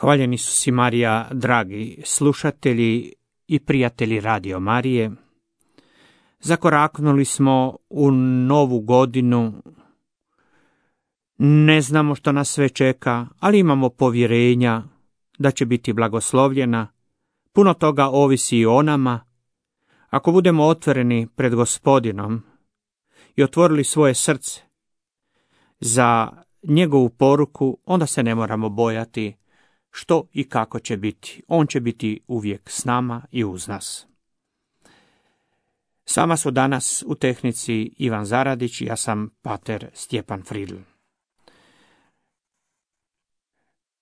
Hvaljeni su si Marija, dragi slušatelji i prijatelji Radio Marije. Zakoraknuli smo u novu godinu. Ne znamo što nas sve čeka, ali imamo povjerenja da će biti blagoslovljena. Puno toga ovisi i o nama. Ako budemo otvoreni pred Gospodinom i otvorili svoje srce za njegovu poruku, onda se ne moramo bojati što i kako će biti. On će biti uvijek s nama i uz nas. Sama su danas u tehnici Ivan Zaradić i ja sam pater Stjepan Fridl.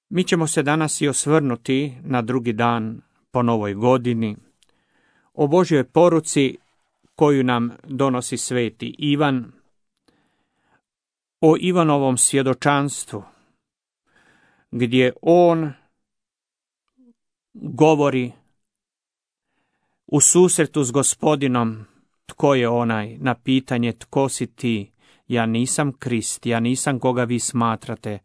Mi ćemo se danas i osvrnuti na drugi dan po novoj godini, o Božjoj poruci koju nam donosi sveti Ivan, o Ivanovom svjedočanstvu, gdje on govori u susretu s Gospodinom tko je onaj, na pitanje tko si ti, ja nisam Krist, ja nisam koga vi smatrate,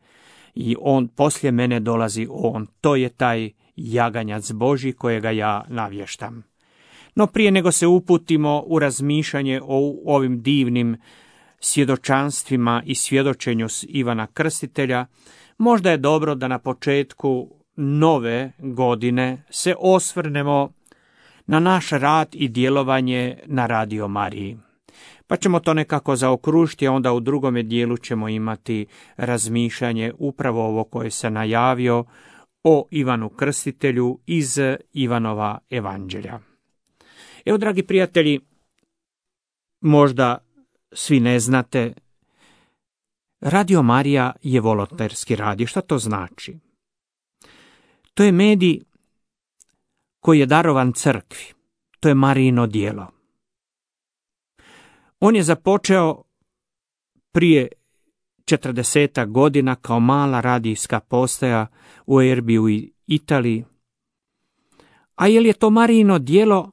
i on poslije mene dolazi on, to je taj jaganjac Božji kojega ja navještam. No prije nego se uputimo u razmišljanje o ovim divnim svjedočanstvima i svjedočenju Ivana Krstitelja, možda je dobro da na početku nove godine se osvrnemo na naš rad i djelovanje na Radio Mariji. Pa ćemo to nekako zaokružiti, a onda u drugome dijelu ćemo imati razmišljanje upravo ovo koje se najavio o Ivanu Krstitelju iz Ivanova evanđelja. Evo, dragi prijatelji, možda svi ne znate, Radio Marija je volonterski rad. Šta to znači? To je medij koji je darovan crkvi. To je Marijino djelo. On je započeo prije 40 godina kao mala radijska postaja u Erbiju u Italiji. A jer je to Marijino djelo,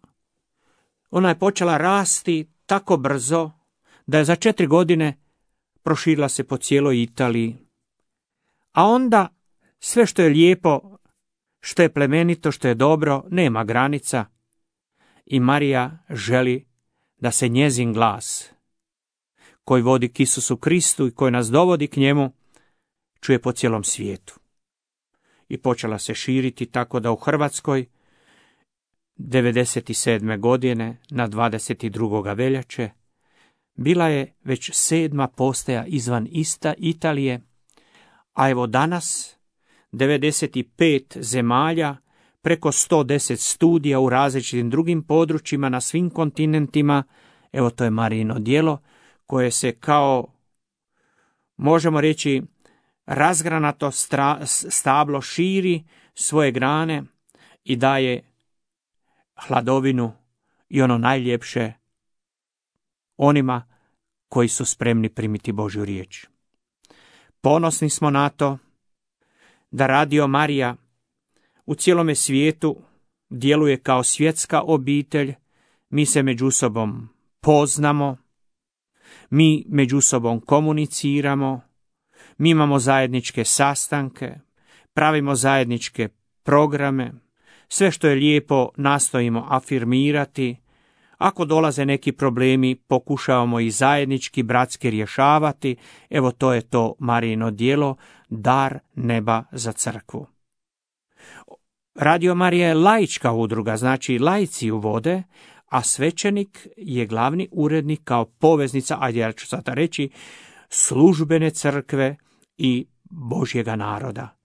ona je počela rasti tako brzo da je za 4 godine proširila se po cijeloj Italiji. A onda sve što je lijepo, što je plemenito, što je dobro, nema granica. I Marija želi da se njezin glas, koji vodi k Isusu Kristu i koji nas dovodi k njemu, čuje po cijelom svijetu. I počela se širiti tako da u Hrvatskoj 97. godine na 22. veljače bila je već 7. postaja izvan Italije, a evo danas 95 zemalja, preko 110 studija u različitim drugim područjima na svim kontinentima. Evo, to je Marijino djelo koje se kao, možemo reći, razgranato stablo širi svoje grane i daje hladovinu i ono najljepše onima koji su spremni primiti Božju riječ. Ponosni smo na to da Radio Marija u cijelome svijetu djeluje kao svjetska obitelj. Mi se među sobom poznamo, mi među sobom komuniciramo, mi imamo zajedničke sastanke, pravimo zajedničke programe, sve što je lijepo nastojimo afirmirati. Ako dolaze neki problemi, pokušavamo i zajednički, bratski rješavati. Evo, to je to Marijino djelo, dar neba za crkvu. Radio Marija je laička udruga, znači laici ju vode, a svećenik je glavni urednik kao poveznica, ajde ja ću sada reći, službene crkve i Božjega naroda.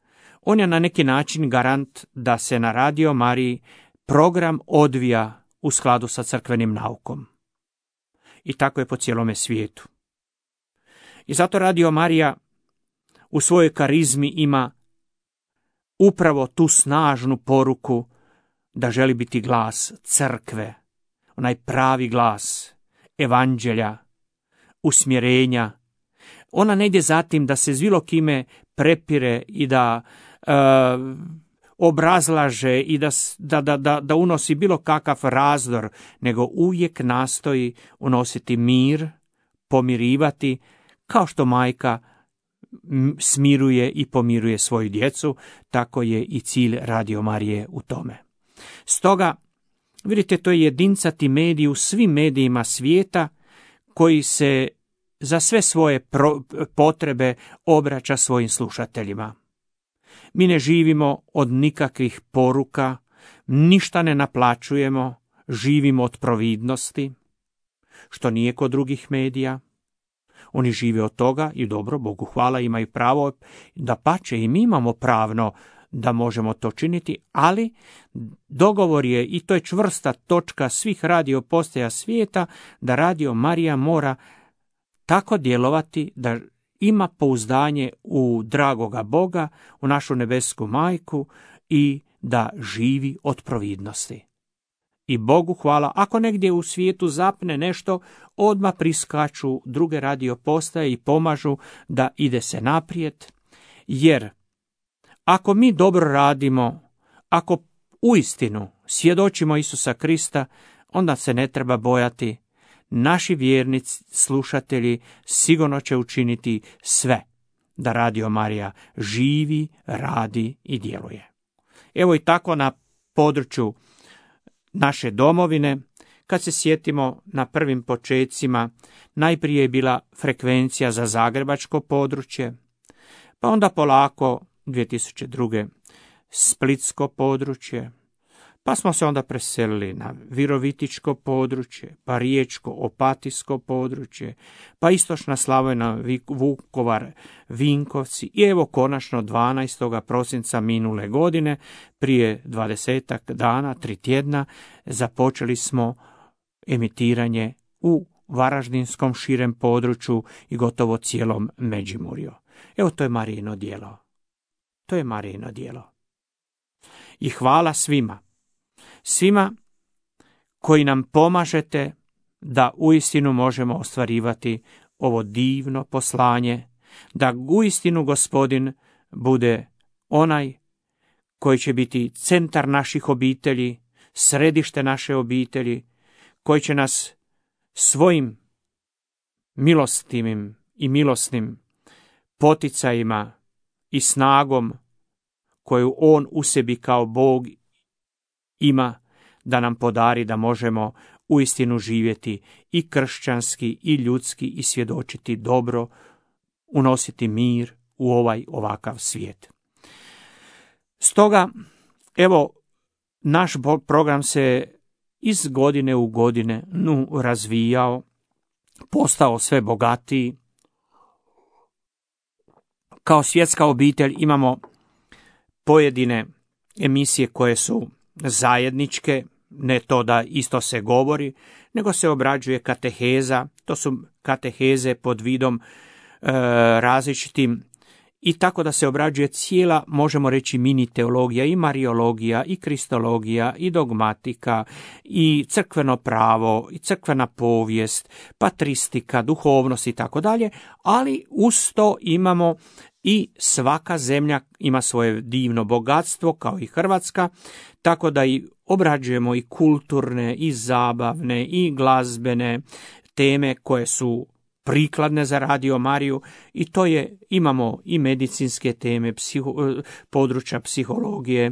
On je na neki način garant da se na Radio Mariji program odvija u skladu sa crkvenim naukom. I tako je po cijelome svijetu. I zato Radio Marija u svojoj karizmi ima upravo tu snažnu poruku da želi biti glas crkve, onaj pravi glas evanđelja, usmjerenja. Ona ne ide za tim da se s bilo kime prepire i da obrazlaže i da unosi bilo kakav razdor, nego uvijek nastoji unositi mir, pomirivati, kao što majka smiruje i pomiruje svoju djecu, tako je i cilj Radio Marije u tome. Stoga, vidite, to je jedincati medij u svim medijima svijeta koji se za sve svoje potrebe obraća svojim slušateljima. Mi ne živimo od nikakvih poruka, ništa ne naplaćujemo, živimo od providnosti, što nije kod drugih medija. Oni žive od toga i dobro, Bogu hvala, imaju pravo, dapače i mi imamo pravno da možemo to činiti, ali dogovor je, i to je čvrsta točka svih radio postaja svijeta, da Radio Marija mora tako djelovati da ima pouzdanje u dragoga Boga, u našu nebesku majku i da živi od providnosti. I Bogu hvala, ako negdje u svijetu zapne nešto, odmah priskaču druge radio postaje i pomažu da ide se naprijed, jer ako mi dobro radimo, ako uistinu svjedočimo Isusa Krista, onda se ne treba bojati. Naši vjernici, slušatelji, sigurno će učiniti sve da Radio Marija živi, radi i djeluje. Evo i tako na području naše domovine, kad se sjetimo na prvim počecima, najprije je bila frekvencija za zagrebačko područje, pa onda polako 2002. splitsko područje, pa smo se onda preselili na virovitičko područje, pa riječko opatijsko područje, pa istočna Slavonija, Vukovar, Vinkovci i evo konačno 12. prosinca minule godine, prije 20 dana, 3 tjedna, započeli smo emitiranje u varaždinskom širem području i gotovo cijelom Međimurju. Evo, to je Marijino djelo. To je Marijino djelo. I hvala svima koji nam pomažete da uistinu možemo ostvarivati ovo divno poslanje, da uistinu Gospodin bude onaj koji će biti centar naših obitelji, središte naše obitelji, koji će nas svojim milostivim i milosnim poticajima i snagom koju on u sebi kao Bog ima, da nam podari da možemo uistinu živjeti i kršćanski i ljudski i svjedočiti dobro, unositi mir u ovakav svijet. Stoga, evo, naš program se iz godine u godine razvijao, postao sve bogatiji. Kao svjetska obitelj imamo pojedine emisije koje su zajedničke, ne to da isto se govori, nego se obrađuje kateheza, to su kateheze pod vidom različitim, i tako da se obrađuje cijela, možemo reći, mini teologija, i mariologija, i kristologija, i dogmatika, i crkveno pravo, i crkvena povijest, patristika, duhovnost i tako dalje, ali uz to imamo i svaka zemlja ima svoje divno bogatstvo, kao i Hrvatska, tako da i obrađujemo i kulturne, i zabavne, i glazbene teme koje su prikladne za Radio Mariju, i to je, imamo i medicinske teme, područja psihologije,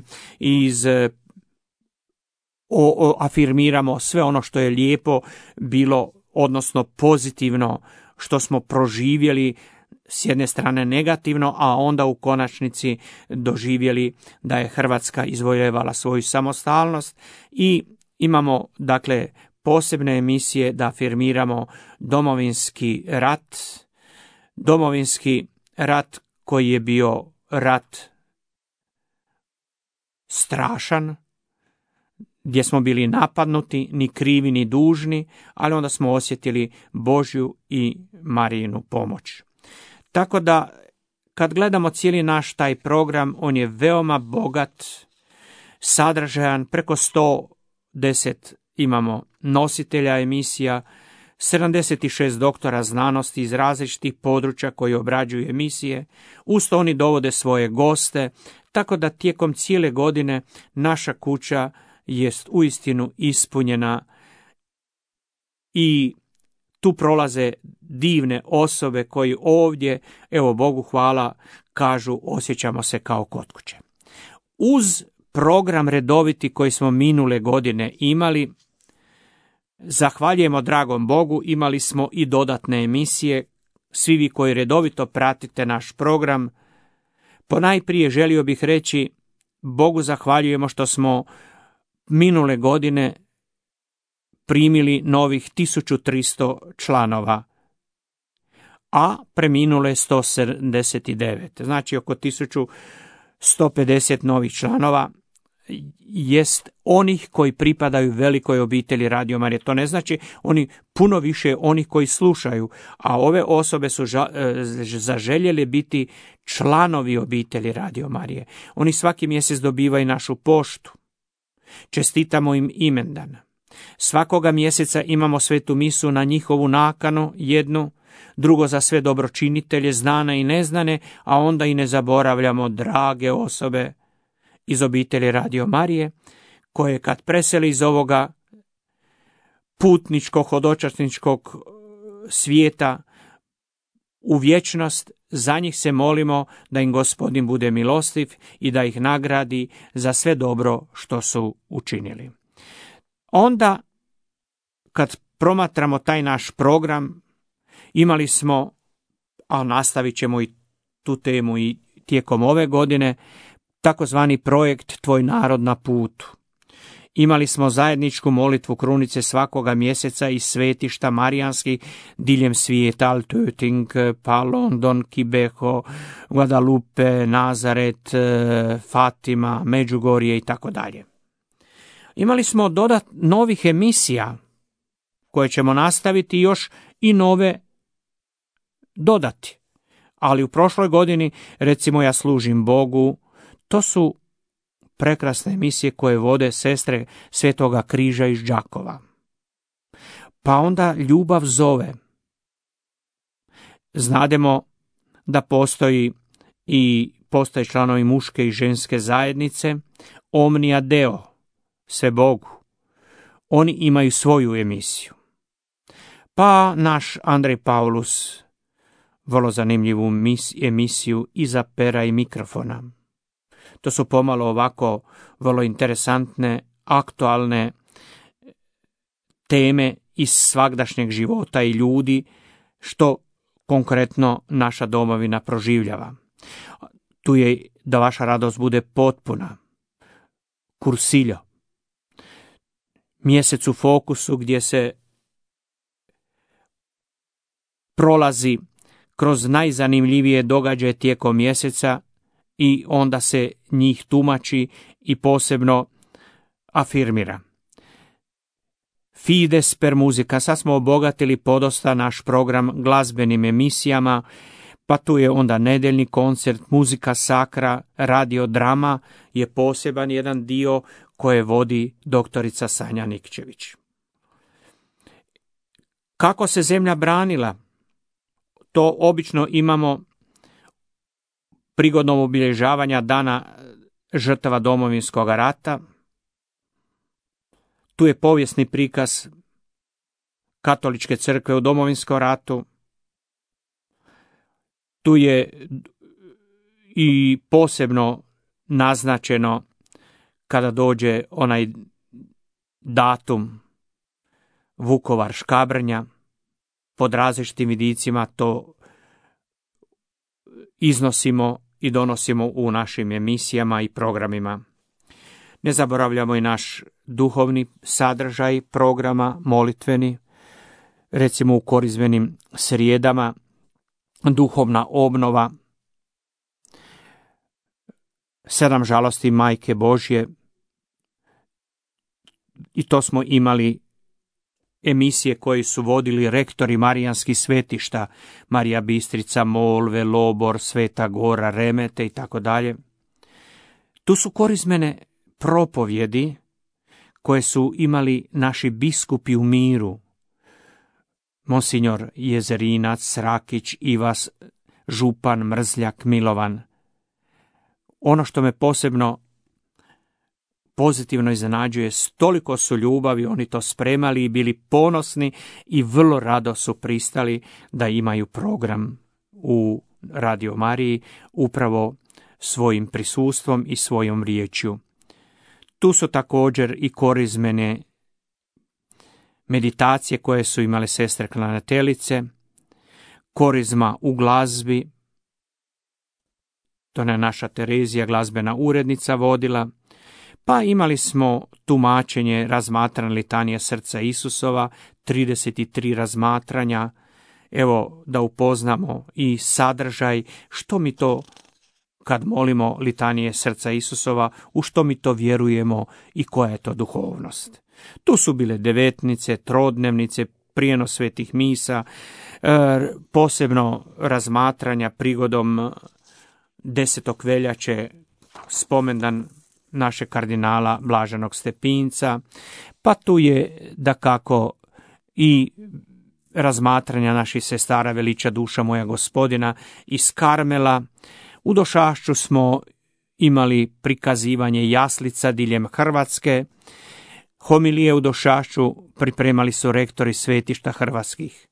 afirmiramo sve ono što je lijepo bilo, odnosno pozitivno, što smo proživjeli, s jedne strane negativno, a onda u konačnici doživjeli da je Hrvatska izvojevala svoju samostalnost, i imamo, dakle, posebne emisije da afirmiramo Domovinski rat koji je bio rat strašan, gdje smo bili napadnuti, ni krivi ni dužni, ali onda smo osjetili Božju i Marijinu pomoć. Tako da, kad gledamo cijeli naš taj program, on je veoma bogat, sadržajan, preko 110 imamo nositelja emisija, 76 doktora znanosti iz različitih područja koji obrađuju emisije, uz to oni dovode svoje goste, tako da tijekom cijele godine naša kuća jest uistinu ispunjena, i Tu prolaze divne osobe koji ovdje, evo Bogu hvala, kažu osjećamo se kao kod kuće. Uz program redoviti koji smo minule godine imali, zahvaljujemo dragom Bogu, imali smo i dodatne emisije. Svi vi koji redovito pratite naš program, ponajprije želio bih reći Bogu zahvaljujemo što smo minule godine primili novih 1300 članova, a preminule 179. Znači oko 1150 novih članova jest onih koji pripadaju velikoj obitelji Radio Marije. To ne znači oni puno više onih koji slušaju, a ove osobe su zaželjele biti članovi obitelji Radio Marije. Oni svaki mjesec dobivaju našu poštu. Čestitamo im imendan. Svakoga mjeseca imamo svetu misu na njihovu nakanu, jednu, drugo za sve dobročinitelje, znane i neznane, a onda i ne zaboravljamo drage osobe iz obitelji Radio Marije, koje kad preseli iz ovoga putničkog, hodočasničkog svijeta u vječnost, za njih se molimo da im Gospodin bude milostiv i da ih nagradi za sve dobro što su učinili. Onda, kad promatramo taj naš program, imali smo, a nastavit ćemo i tu temu i tijekom ove godine, takozvani projekt Tvoj narod na putu. Imali smo zajedničku molitvu krunice svakoga mjeseca iz svetišta marijanskih diljem svijeta, Altöting, pa London, Kibeho, Guadalupe, Nazaret, Fatima, Međugorje i tako dalje. Imali smo novih emisija koje ćemo nastaviti još i nove dodati. Ali u prošloj godini, recimo Ja služim Bogu, to su prekrasne emisije koje vode sestre Svetoga križa iz Đakova. Pa onda Ljubav zove. Znademo da postoje članovi muške i ženske zajednice, Omnia Deo, sve Bogu. Oni imaju svoju emisiju. Pa naš Andrej Paulus, vrlo zanimljivu emisiju Iza pera i mikrofona. To su pomalo ovako vrlo interesantne, aktualne teme iz svagdašnjeg života i ljudi, što konkretno naša domovina proživljava. Tu je da vaša radost bude potpuna. Kursiljo. Mjesec u fokusu gdje se prolazi kroz najzanimljivije događaje tijekom mjeseca i onda se njih tumači i posebno afirmira. Fides per muzika. Sad smo obogatili podosta naš program glazbenim emisijama, pa tu je onda nedeljni koncert, muzika sakra, radiodrama je poseban jedan dio koje vodi doktorica Sanja Nikčević. Kako se zemlja branila? To obično imamo prigodom obilježavanja dana žrtava Domovinskog rata. Tu je povijesni prikaz Katoličke crkve u Domovinskom ratu. Tu je i posebno naznačeno kada dođe onaj datum Vukovar Škabrnja. Pod različitim vidicima to iznosimo i donosimo u našim emisijama i programima. Ne zaboravljamo i naš duhovni sadržaj programa, molitveni, recimo u korizmenim srijedama, duhovna obnova, 7 žalosti Majke Božje, i to smo imali emisije koje su vodili rektori marijanskih svetišta, Marija Bistrica, Molve, Lobor, Sveta Gora, Remete i tako dalje. Tu su korizmene propovjedi koje su imali naši biskupi u miru, Monsignor Jezerinac, Rakić, Ivas, župan Mrzljak, Milovan. Ono što me posebno pozitivno iznenađuje, s toliko su ljubavi oni to spremali i bili ponosni i vrlo rado su pristali da imaju program u Radio Mariji upravo svojim prisustvom i svojom riječju. Tu su također i korizmene meditacije koje su imale sestre klanjateljice, korizma u glazbi, to je naša Terezija, glazbena urednica, vodila, pa imali smo tumačenje razmatranja litanije srca Isusova, 33 razmatranja, evo da upoznamo i sadržaj, što mi to kad molimo litanije srca Isusova, u što mi to vjerujemo i koja je to duhovnost. Tu su bile devetnice, trodnevnice, prijenos svetih misa, posebno razmatranja prigodom 10. veljače, spomendan našeg kardinala Blaženog Stepinca, pa tu je dakako i razmatranja naših sestara Veliča duša moja Gospodina iz Karmela. U Došašću smo imali prikazivanje jaslica diljem Hrvatske. Homilije u Došašću pripremali su rektori svetišta hrvatskih.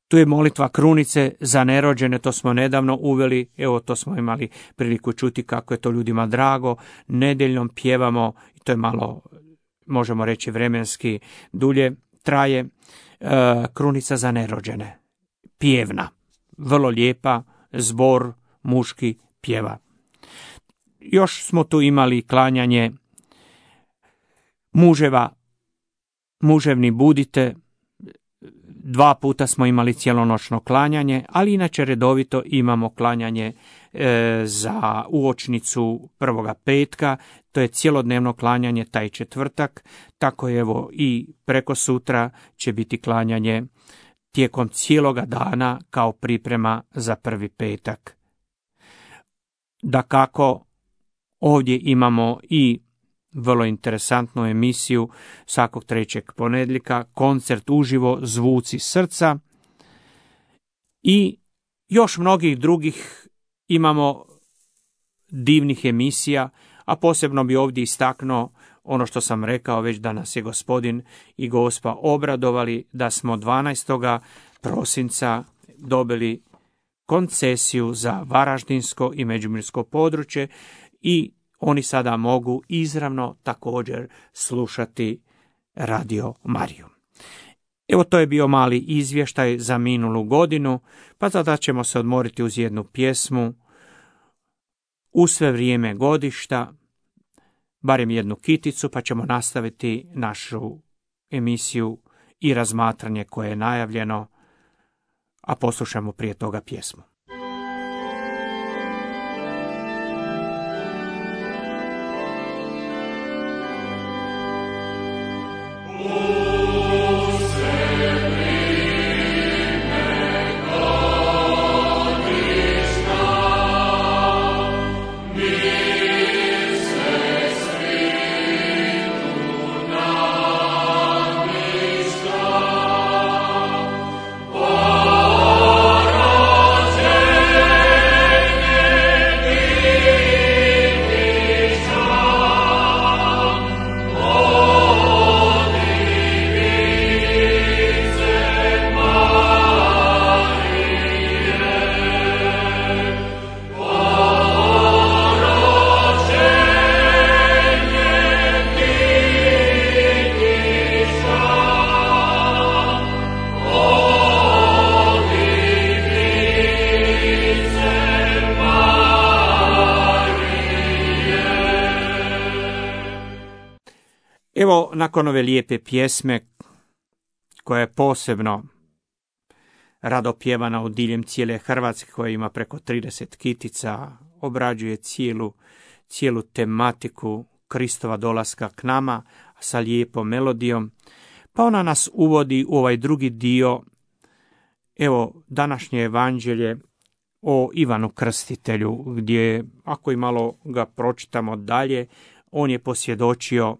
Tu je molitva krunice za nerođene, to smo nedavno uveli, evo to smo imali priliku čuti kako je to ljudima drago. Nedeljom pjevamo, i to je malo, možemo reći vremenski dulje traje, krunica za nerođene. Pjevna, vrlo lijepa, zbor muški pjeva. Još smo tu imali klanjanje muževa, muževni budite. 2 puta smo imali cijelonoćno klanjanje, ali inače redovito imamo klanjanje za uočnicu prvoga petka, to je cjelodnevno klanjanje taj četvrtak, tako je evo i preko sutra će biti klanjanje tijekom cijeloga dana kao priprema za prvi petak. Dakako, ovdje imamo i vrlo interesantnu emisiju svakog 3. ponedjeljka, koncert uživo, zvuci srca i još mnogih drugih imamo divnih emisija, a posebno bi ovdje istaknuo ono što sam rekao već da nas je Gospodin i Gospa obradovali da smo 12. prosinca dobili koncesiju za Varaždinsko i Međimursko područje i oni sada mogu izravno također slušati Radio Mariju. Evo to je bio mali izvještaj za minulu godinu, pa sada ćemo se odmoriti uz jednu pjesmu u sve vrijeme godišta, barem jednu kiticu, pa ćemo nastaviti našu emisiju i razmatranje koje je najavljeno, a poslušamo prije toga pjesmu. Evo, nakon ove lijepe pjesme, koja je posebno rado pjevana u diljem cijele Hrvatske, koja ima preko 30 kitica, obrađuje cijelu tematiku Kristova dolaska k nama sa lijepom melodijom, pa ona nas uvodi u ovaj drugi dio, evo, današnje evanđelje o Ivanu Krstitelju, gdje, ako i malo ga pročitamo dalje, on je posvjedočio: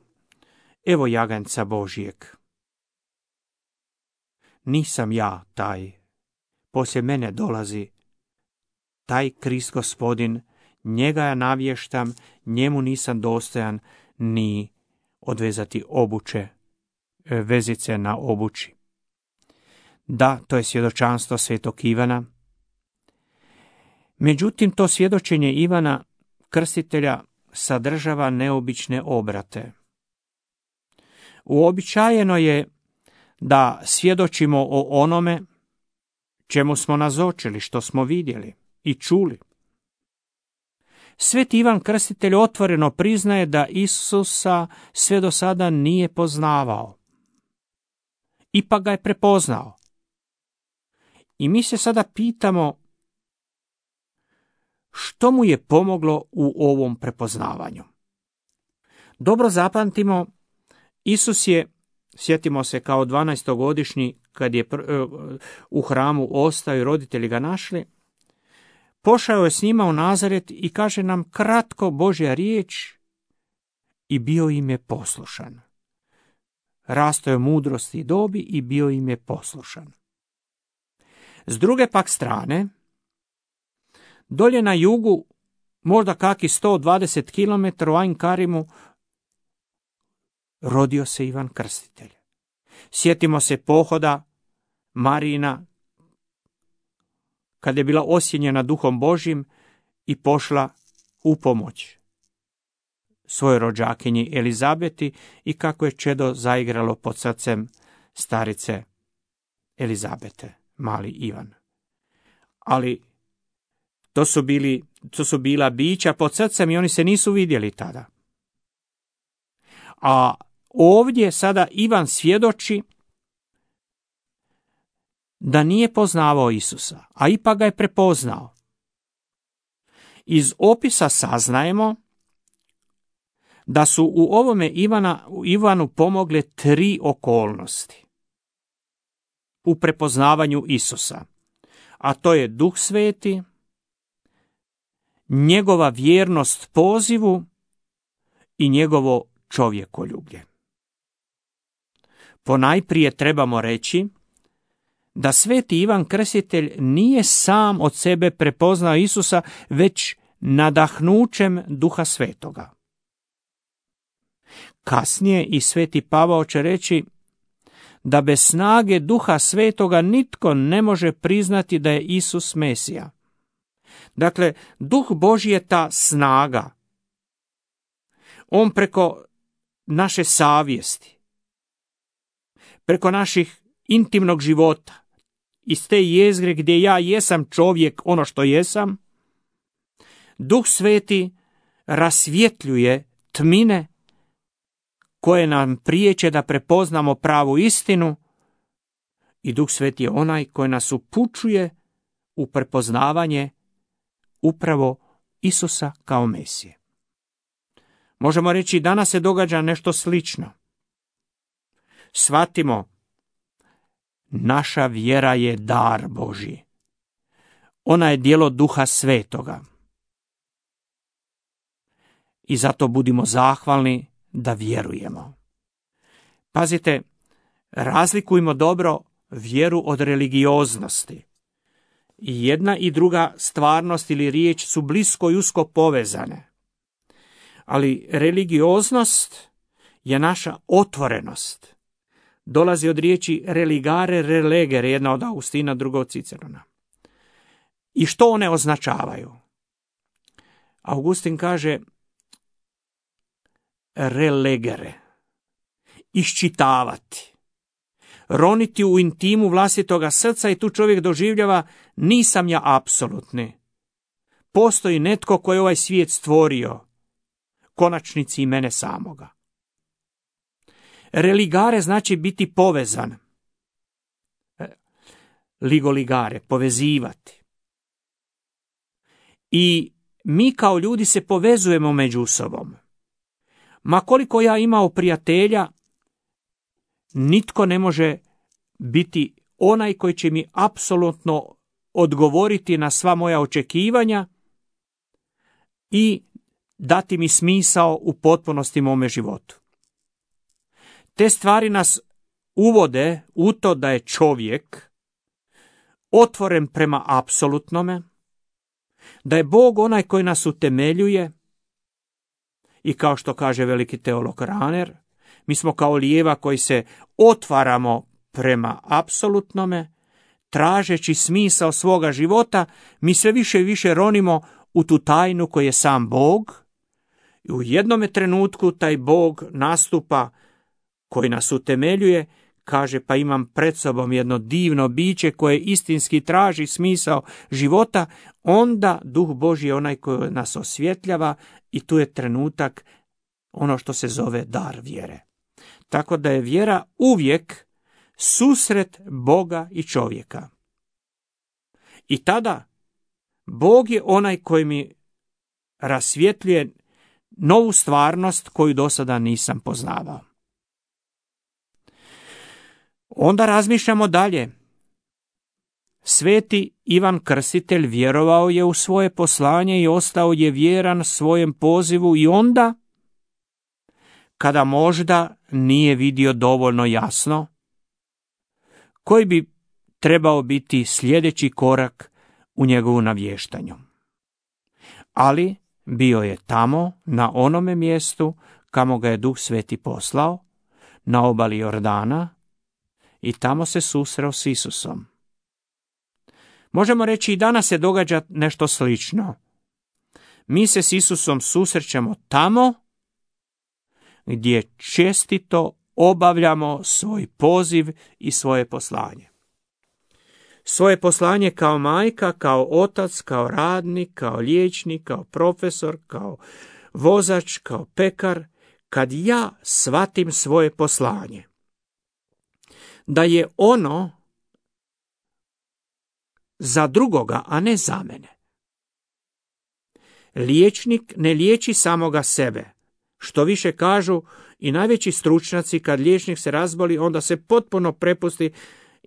evo jaganjca Božijeg. Nisam ja taj, poslije mene dolazi taj Krist Gospodin, njega ja navještam, njemu nisam dostojan ni odvezati obuće, vezice na obući. Da, to je svjedočanstvo svetog Ivana. Međutim, to svjedočenje Ivana Krstitelja sadržava neobične obrate. Uobičajeno je da svjedočimo o onome čemu smo nazočili, što smo vidjeli i čuli. Sveti Ivan Krstitelj otvoreno priznaje da Isusa sve do sada nije poznavao. Ipak ga je prepoznao. I mi se sada pitamo što mu je pomoglo u ovom prepoznavanju. Dobro zapamtimo, Isus je, sjetimo se kao 12-godišnji, kad je u hramu ostao i roditelji ga našli, pošao je s njima u Nazaret i kaže nam kratko Božja riječ i bio im je poslušan. Rastao je mudrosti i dobi i bio im je poslušan. S druge pak strane, dolje na jugu, možda kaki 120 km u Ajn Karimu, rodio se Ivan Krstitelj. Sjetimo se pohoda Marijina, kad je bila osjenjena Duhom Božjim i pošla u pomoć svojoj rođakinji Elizabeti i kako je čedo zaigralo pod srcem starice Elizabete, mali Ivan. Ali to su bila bića pod srcem i oni se nisu vidjeli tada. A ovdje sada Ivan svjedoči da nije poznavao Isusa, a ipak ga je prepoznao. Iz opisa saznajemo da su u ovome Ivanu pomogle 3 okolnosti u prepoznavanju Isusa, a to je Duh Sveti, njegova vjernost pozivu i njegovo čovjekoljublje. Ponajprije trebamo reći da sveti Ivan Krstitelj nije sam od sebe prepoznao Isusa, već nadahnućem Duha Svetoga. Kasnije i sveti Pavao će reći da bez snage Duha Svetoga nitko ne može priznati da je Isus Mesija. Dakle, Duh Božji je ta snaga. On preko naše savjesti, preko naših intimnog života, iz te jezgre gdje ja jesam čovjek, ono što jesam, Duh Sveti rasvjetljuje tmine koje nam priječe da prepoznamo pravu istinu i Duh Sveti je onaj koji nas upućuje u prepoznavanje upravo Isusa kao Mesije. Možemo reći danas se događa nešto slično. Shvatimo, naša vjera je dar Božji. Ona je djelo Duha Svetoga. I zato budimo zahvalni da vjerujemo. Pazite, razlikujmo dobro vjeru od religioznosti. I jedna i druga stvarnost ili riječ su blisko i usko povezane. Ali religioznost je naša otvorenost. Dolazi od riječi religare, relegere, jedna od Augustina, druga od Cicerona. I što one označavaju? Augustin kaže relegere, iščitavati, roniti u intimu vlastitoga srca i tu čovjek doživljava nisam ja apsolutni. Postoji netko koji je ovaj svijet stvorio, konačnici i mene samoga. Religare znači biti povezan. Ligoligare, povezivati. I mi kao ljudi se povezujemo među sobom. Ma koliko ja imao prijatelja, nitko ne može biti onaj koji će mi apsolutno odgovoriti na sva moja očekivanja i dati mi smisao u potpunosti mome životu. Te stvari nas uvode u to da je čovjek otvoren prema apsolutnome, da je Bog onaj koji nas utemeljuje i kao što kaže veliki teolog Rahner, mi smo kao lijeva koji se otvaramo prema apsolutnome, tražeći smisao svoga života, mi sve više i više ronimo u tu tajnu koji je sam Bog. I u jednome trenutku taj Bog nastupa koji nas utemeljuje, kaže pa imam pred sobom jedno divno biće koje istinski traži smisao života, onda Duh Božji je onaj koji nas osvjetljava i tu je trenutak ono što se zove dar vjere. Tako da je vjera uvijek susret Boga i čovjeka. I tada Bog je onaj koji mi rasvjetljuje novu stvarnost koju do sada nisam poznavao. Onda razmišljamo dalje. Sveti Ivan Krstitelj vjerovao je u svoje poslanje i ostao je vjeran svojem pozivu i onda, kada možda nije vidio dovoljno jasno, koji bi trebao biti sljedeći korak u njegovu navještanju. Ali bio je tamo, na onome mjestu kamo ga je Duh Sveti poslao, na obali Jordana, i tamo se susreo s Isusom. Možemo reći i danas se događa nešto slično. Mi se s Isusom susrećemo tamo gdje čestito obavljamo svoj poziv i svoje poslanje. Svoje poslanje kao majka, kao otac, kao radnik, kao liječnik, kao profesor, kao vozač, kao pekar, kad ja shvatim svoje poslanje, da je ono za drugoga, a ne za mene. Liječnik ne liječi samoga sebe. Što više kažu i najveći stručnjaci, kad liječnik se razboli, onda se potpuno prepusti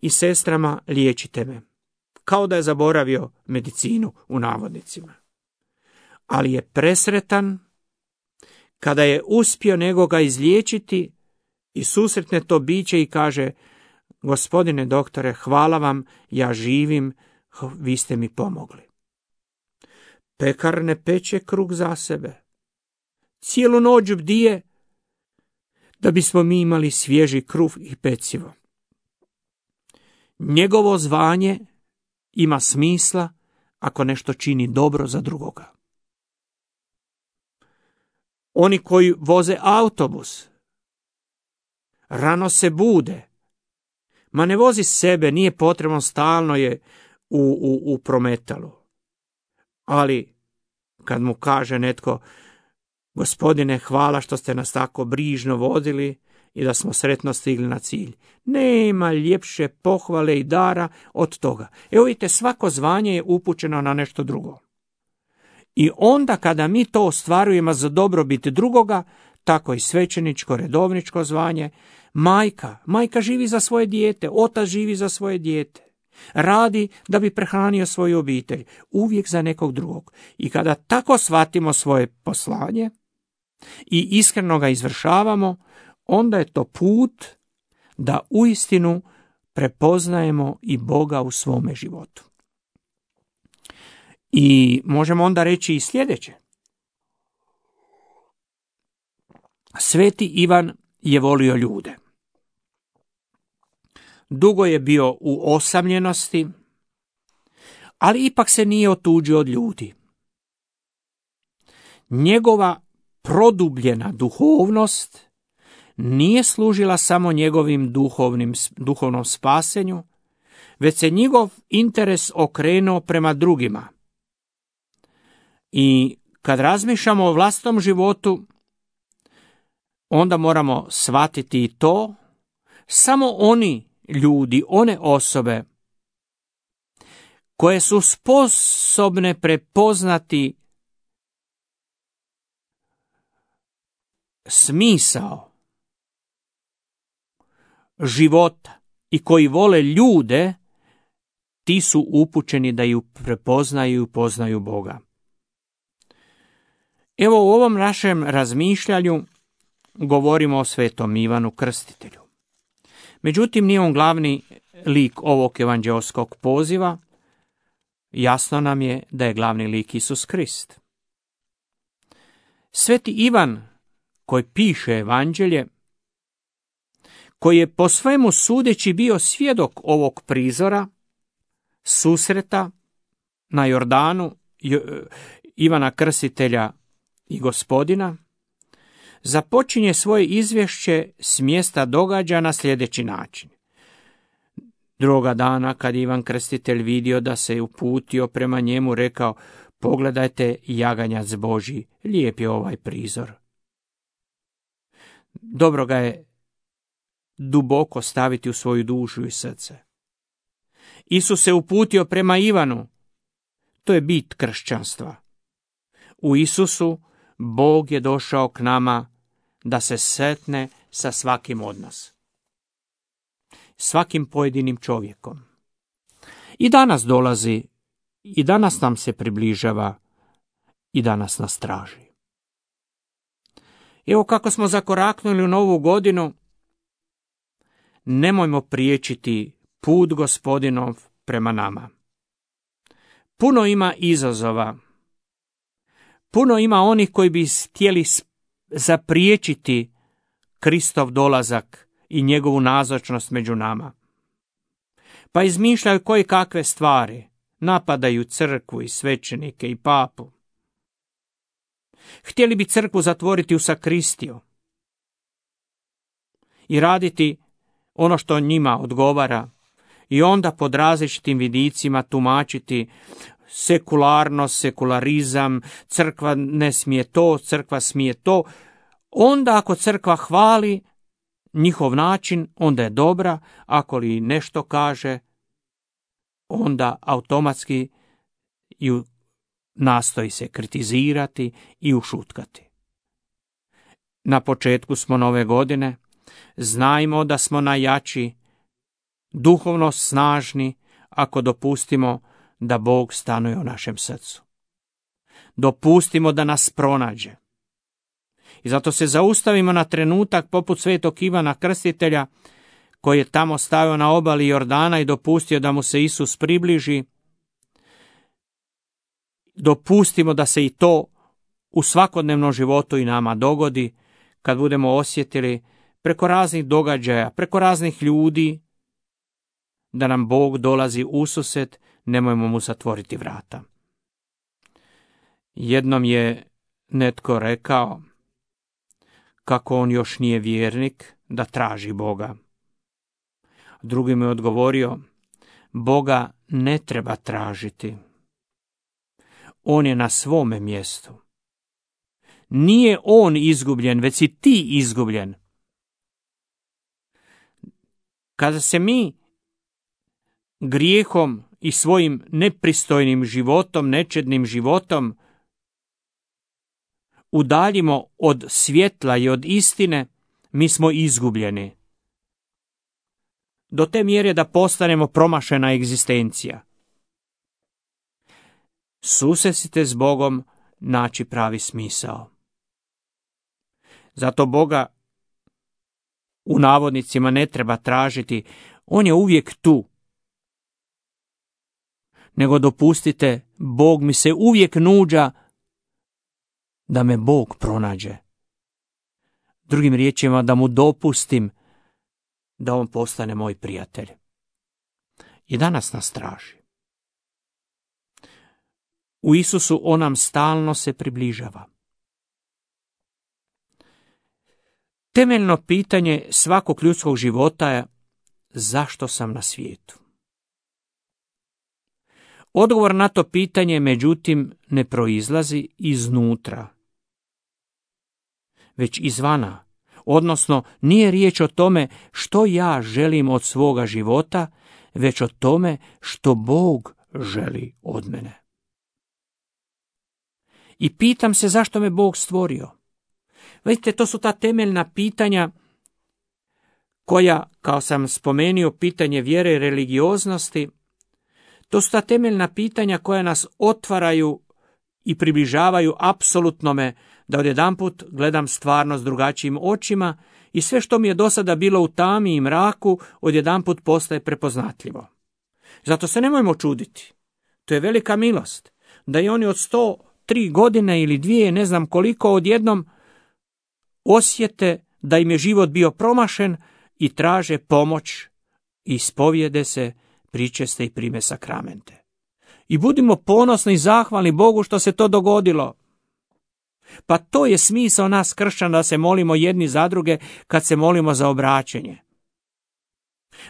i sestrama liječite me. Kao da je zaboravio medicinu u navodnicima. Ali je presretan kada je uspio nekoga izliječiti i susretne to biće i kaže: Gospodine doktore, hvala vam, ja živim, vi ste mi pomogli. Pekar ne peče kruh za sebe. Cijelu noć bdije da bismo mi imali svježi kruh i pecivo. Njegovo zvanje ima smisla ako nešto čini dobro za drugoga. Oni koji voze autobus rano se bude. Ma ne vozi sebe, nije potrebno, stalno je u prometalu. Ali kad mu kaže netko: Gospodine, hvala što ste nas tako brižno vodili i da smo sretno stigli na cilj. Nema ljepše pohvale i dara od toga. Evo vidite, svako zvanje je upućeno na nešto drugo. I onda kada mi to ostvarujemo za dobrobit drugoga, tako i svećeničko, redovničko zvanje, majka živi za svoje dijete, otac živi za svoje dijete. Radi da bi prehranio svoju obitelj, uvijek za nekog drugog. I kada tako shvatimo svoje poslanje i iskreno ga izvršavamo, onda je to put da uistinu prepoznajemo i Boga u svome životu. I možemo onda reći i sljedeće. Sveti Ivan je volio ljude. Dugo je bio u osamljenosti, ali ipak se nije otuđio od ljudi. Njegova produbljena duhovnost nije služila samo njegovim duhovnom spasenju, već se njegov interes okrenuo prema drugima. I kad razmišljamo o vlastitom životu, onda moramo shvatiti i to, samo oni ljudi, one osobe koje su sposobne prepoznati smisao života i koji vole ljude, ti su upućeni da ju prepoznaju i poznaju Boga. Evo, u ovom našem razmišljanju govorimo o svetom Ivanu Krstitelju. Međutim, nije on glavni lik ovog evanđeoskog poziva. Jasno nam je da je glavni lik Isus Krist. Sveti Ivan, koji piše evanđelje, koji je po svemu sudeći bio svjedok ovog prizora, susreta na Jordanu Ivana Krstitelja i Gospodina, započinje svoje izvješće s mjesta događaja na sljedeći način. Drugoga dana, kad Ivan Krstitelj vidio da se je uputio prema njemu, rekao: pogledajte, jaganjac Božji, lijep je ovaj prizor. Dobro ga je duboko staviti u svoju dušu i srce. Isus se uputio prema Ivanu. To je bit kršćanstva. U Isusu Bog je došao k nama da se sretne sa svakim od nas. Svakim pojedinim čovjekom. I danas dolazi, i danas nam se približava, i danas nas traži. Evo kako smo zakoraknuli u novu godinu, nemojmo priječiti put Gospodinov prema nama. Puno ima izazova. Puno ima onih koji bi htjeli zapriječiti Kristov dolazak i njegovu nazočnost među nama. Pa izmišljaju koje kakve stvari, napadaju crkvu i svećenike i papu. Htjeli bi crkvu zatvoriti u sakristiju i raditi ono što njima odgovara i onda pod različitim vidicima tumačiti sekularnost, sekularizam, crkva ne smije to, crkva smije to. Onda ako crkva hvali njihov način, onda je dobra, ako li nešto kaže, onda automatski ju nastoji se kritizirati i ušutkati. Na početku smo nove godine, znajmo da smo najjači, duhovno snažni, ako dopustimo da Bog stanuje u našem srcu. Dopustimo da nas pronađe. I zato se zaustavimo na trenutak poput svetog Ivana Krstitelja, koji je tamo stajao na obali Jordana i dopustio da mu se Isus približi. Dopustimo da se i to u svakodnevnom životu i nama dogodi, kad budemo osjetili preko raznih događaja, preko raznih ljudi, da nam Bog dolazi ususret, nemojmo mu zatvoriti vrata. Jednom je netko rekao kako on još nije vjernik, da traži Boga. Drugi mu je odgovorio: Boga ne treba tražiti. On je na svome mjestu. Nije on izgubljen, već si ti izgubljen. Kada se mi grijehom i svojim nepristojnim životom, nečednim životom udaljimo od svjetla i od istine, mi smo izgubljeni. Do te mjere da postanemo promašena egzistencija. Susretite s Bogom naći pravi smisao. Zato Boga u navodnicima ne treba tražiti, on je uvijek tu. Nego dopustite, Bog mi se uvijek nuđa da me Bog pronađe. Drugim riječima, da mu dopustim da on postane moj prijatelj. I danas nas traži. U Isusu on nam stalno se približava. Temeljno pitanje svakog ljudskog života je: zašto sam na svijetu? Odgovor na to pitanje, međutim, ne proizlazi iznutra, već izvana. Odnosno, nije riječ o tome što ja želim od svoga života, već o tome što Bog želi od mene. I pitam se zašto me Bog stvorio. Vidite, to su ta temeljna pitanja koja, kao sam spomenuo, pitanje vjere i religioznosti, to su ta temeljna pitanja koja nas otvaraju i približavaju apsolutnome, da odjedanput gledam stvarnost drugačijim očima i sve što mi je do sada bilo u tami i mraku odjedanput postaje prepoznatljivo. Zato se nemojmo čuditi. To je velika milost da i oni od 3 godine ili 2, ne znam koliko, odjednom osjete da im je život bio promašen i traže pomoć, ispovijede se, pričeste i prime sakramente. I budimo ponosni i zahvalni Bogu što se to dogodilo. Pa to je smisao nas kršćana, da se molimo jedni za druge kad se molimo za obraćenje.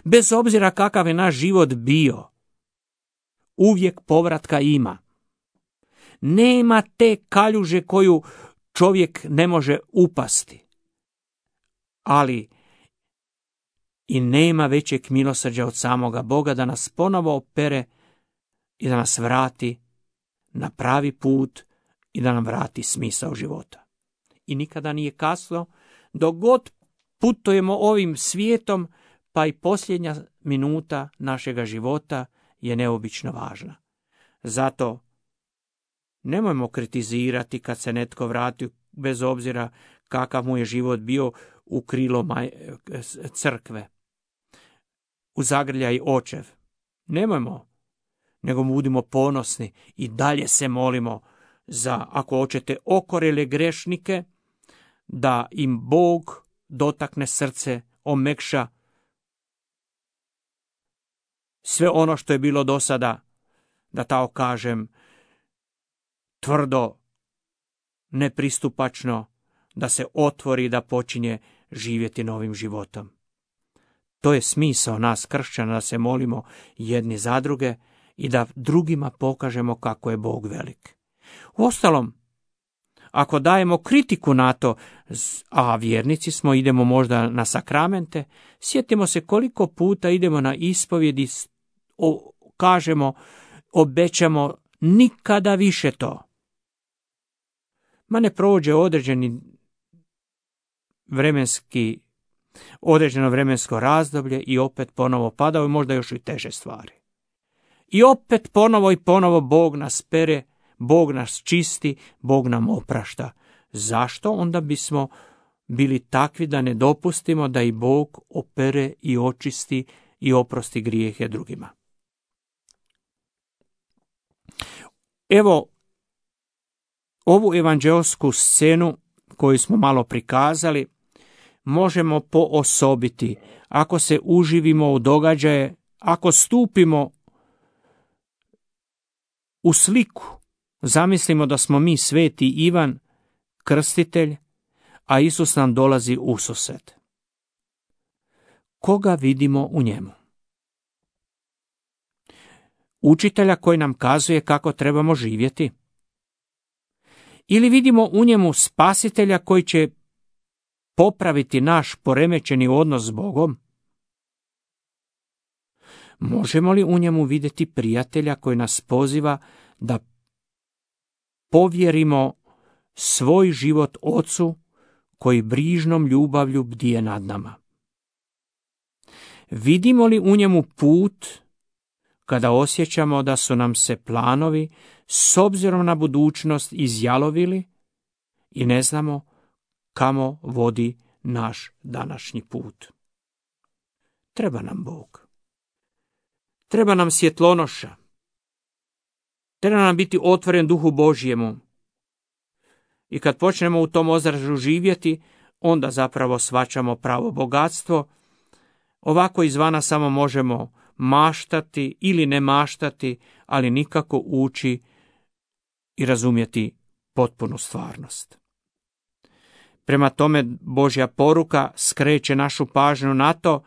Bez obzira kakav je naš život bio, uvijek povratka ima. Nema te kaljuže koju čovjek ne može upasti. Ali i nema većeg milosrđa od samoga Boga da nas ponovo opere i da nas vrati na pravi put i da nam vrati smisao života. I nikada nije kasno, dok god putujemo ovim svijetom, pa i posljednja minuta našega života je neobično važna. Zato nemojmo kritizirati kad se netko vrati, bez obzira kakav mu je život bio, u krilo crkve, u zagrljaj očev. Nemojmo, nego budimo ponosni i dalje se molimo za, ako hoćete, okorjele grešnike, da im Bog dotakne srce, omekša sve ono što je bilo do sada, da tako kažem, tvrdo, nepristupačno, da se otvori i da počinje živjeti novim životom. To je smisao nas kršćana, da se molimo jedni za druge i da drugima pokažemo kako je Bog velik. Uostalom, ako dajemo kritiku na to, a vjernici smo, idemo možda na sakramente, sjetimo se koliko puta idemo na ispovjedi, kažemo, obećamo nikada više to. Ma ne prođe određeno vremensko razdoblje i opet ponovo padaju, možda još i teže stvari. I opet ponovo i ponovo Bog nas pere, Bog nas čisti, Bog nam oprašta. Zašto onda bismo bili takvi da ne dopustimo da i Bog opere i očisti i oprosti grijehe drugima? Evo, ovu evanđeosku scenu koju smo malo prikazali možemo poosobiti ako se uživimo u događaje, ako stupimo u sliku. Zamislimo da smo mi sveti Ivan, krstitelj, a Isus nam dolazi ususret. Koga vidimo u njemu? Učitelja koji nam kazuje kako trebamo živjeti? Ili vidimo u njemu spasitelja koji će popraviti naš poremećeni odnos s Bogom? Možemo li u njemu vidjeti prijatelja koji nas poziva da povjerimo svoj život Ocu koji brižnom ljubavlju bdije nad nama? Vidimo li u njemu put kada osjećamo da su nam se planovi s obzirom na budućnost izjalovili i ne znamo kamo vodi naš današnji put? Treba nam Bog. Treba nam svjetlonoša. Treba nam biti otvoren Duhu Božjemu. I kad počnemo u tom ozračju živjeti, onda zapravo shvaćamo pravo bogatstvo. Ovako izvana samo možemo maštati ili ne maštati, ali nikako ući i razumjeti potpunu stvarnost. Prema tome, Božja poruka skreće našu pažnju na to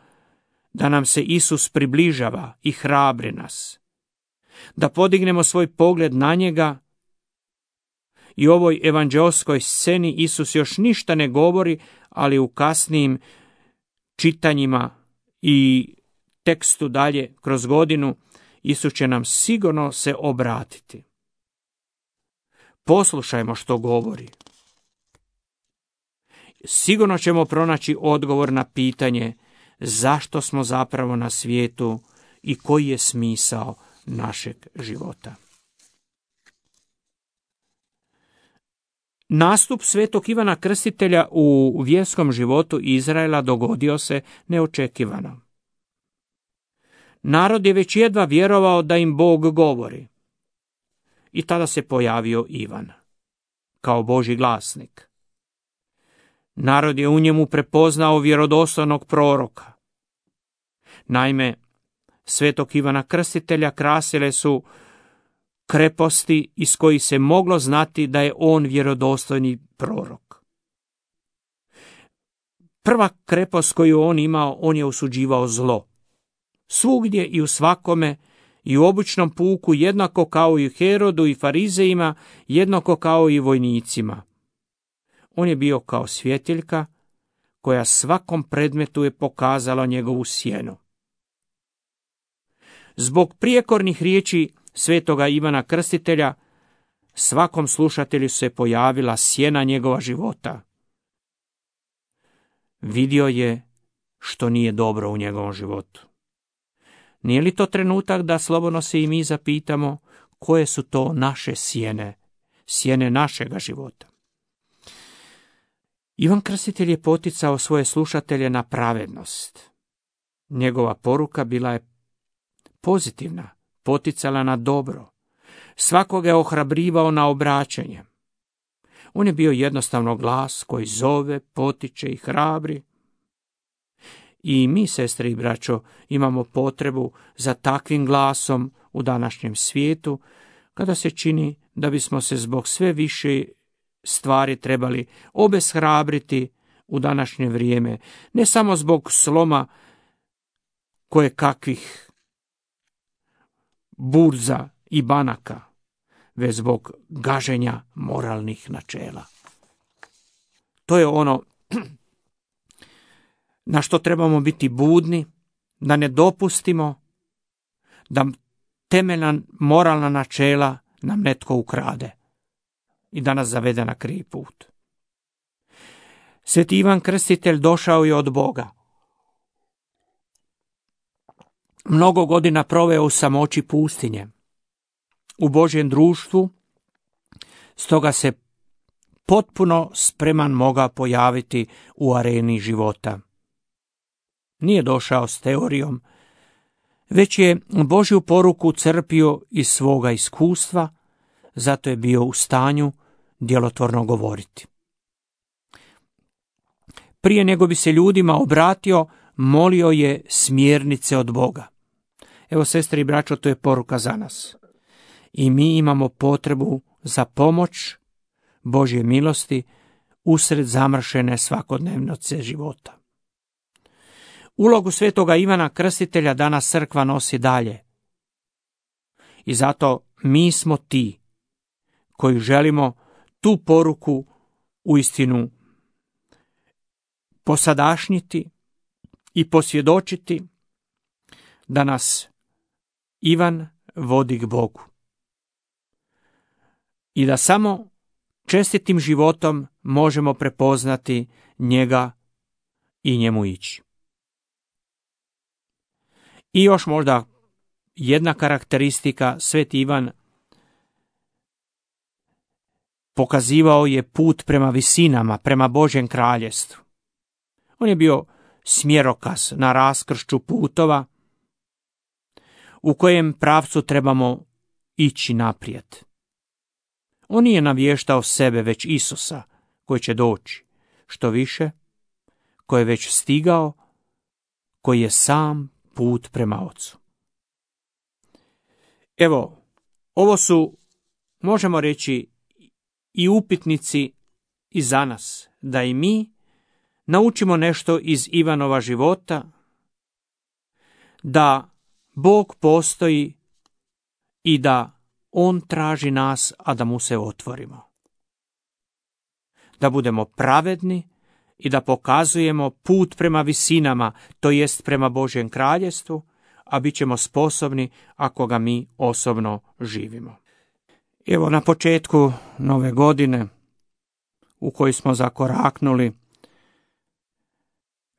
da nam se Isus približava i hrabri nas, da podignemo svoj pogled na njega. I u ovoj evanđeoskoj sceni Isus još ništa ne govori, ali u kasnijim čitanjima i tekstu dalje kroz godinu Isus će nam sigurno se obratiti. Poslušajmo što govori. Sigurno ćemo pronaći odgovor na pitanje zašto smo zapravo na svijetu i koji je smisao našeg života. Nastup svetog Ivana Krstitelja u vjerskom životu Izraela dogodio se neočekivano. Narod je već jedva vjerovao da im Bog govori. i tada se pojavio Ivan, kao Božji glasnik. Narod je u njemu prepoznao vjerodostojnog proroka. Naime, svetog Ivana Krstitelja krasile su kreposti iz kojih se moglo znati da je on vjerodostojni prorok. Prva krepost koju on imao, on je osuđivao zlo. Svugdje i u svakome, i u običnom puku, jednako kao i Herodu i farizejima, jednako kao i vojnicima. On je bio kao svjetiljka koja svakom predmetu je pokazala njegovu sjenu. Zbog prijekornih riječi svetoga Ivana Krstitelja, svakom slušatelju se pojavila sjena njegova života. Vidio je što nije dobro u njegovom životu. Nije li to trenutak da slobodno se i mi zapitamo koje su to naše sjene, sjene našega života? Ivan Krstitelj je poticao svoje slušatelje na pravednost. Njegova poruka bila je pozitivna, poticala na dobro. Svakoga je ohrabrivao na obraćanje. On je bio jednostavno glas koji zove, potiče i hrabri. I mi, sestre i braćo, imamo potrebu za takvim glasom u današnjem svijetu, kada se čini da bismo se zbog sve više stvari trebali obeshrabriti u današnje vrijeme, ne samo zbog sloma koje kakvih burza i banaka, već zbog gaženja moralnih načela. To je ono na što trebamo biti budni, da ne dopustimo da temeljna moralna načela nam netko ukrade i da nas zavede na krivi put. Sveti Ivan Krstitelj došao je od Boga. Mnogo godina proveo u samoći pustinje, u Božjem društvu, stoga se potpuno spreman mogao pojaviti u areni života. Nije došao s teorijom, već je Božju poruku crpio iz svoga iskustva, zato je bio u stanju djelotvorno govoriti. Prije nego bi se ljudima obratio, molio je smjernice od Boga. Evo, sestre i braćo, to je poruka za nas. I mi imamo potrebu za pomoć Božje milosti usred zamršene svakodnevnice života. Ulogu svetoga Ivana Krstitelja danas crkva nosi dalje. I zato mi smo ti koji želimo tu poruku uistinu posadašnjiti i posvjedočiti da nas Ivan vodi k Bogu. I da samo čestitim životom možemo prepoznati njega i njemu ići. I još možda jedna karakteristika, sveti Ivan pokazivao je put prema visinama, prema Božjem kraljestvu. On je bio smjerokaz na raskršću putova u kojem pravcu trebamo ići naprijed. On nije navještao sebe, već Isusa koji će doći. Što više, koji je već stigao, koji je sam put prema Ocu. Evo, ovo su, možemo reći, i upitnici i za nas, da i mi naučimo nešto iz Ivanova života, da Bog postoji i da On traži nas, a da mu se otvorimo. Da budemo pravedni i da pokazujemo put prema visinama, to jest prema Božjem kraljestvu, a bit ćemo sposobni ako ga mi osobno živimo. Evo, na početku nove godine u kojoj smo zakoraknuli,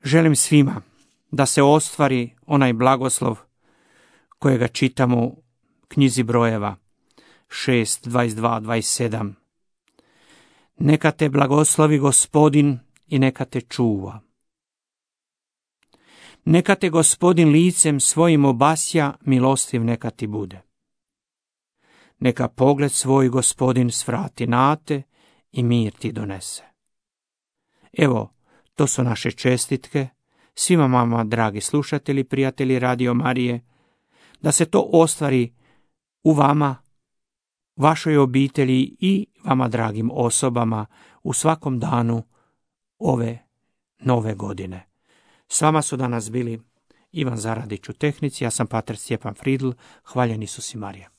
želim svima da se ostvari onaj blagoslov kojega čitamo u knjizi Brojeva 6, 22, 27. Neka te blagoslovi Gospodin i neka te čuva. Neka te Gospodin licem svojim obasja, milostiv neka ti bude. neka pogled svoj Gospodin svrati na te i mir ti donese. Evo, to su naše čestitke svima vama, dragi slušatelji, prijatelji Radio Marije, da se to ostvari u vama, vašoj obitelji i vama, dragim osobama, u svakom danu ove nove godine. S vama su danas bili Ivan Zaradić u tehnici, ja sam pater Stjepan Fridl, hvaljen Isus i Marija.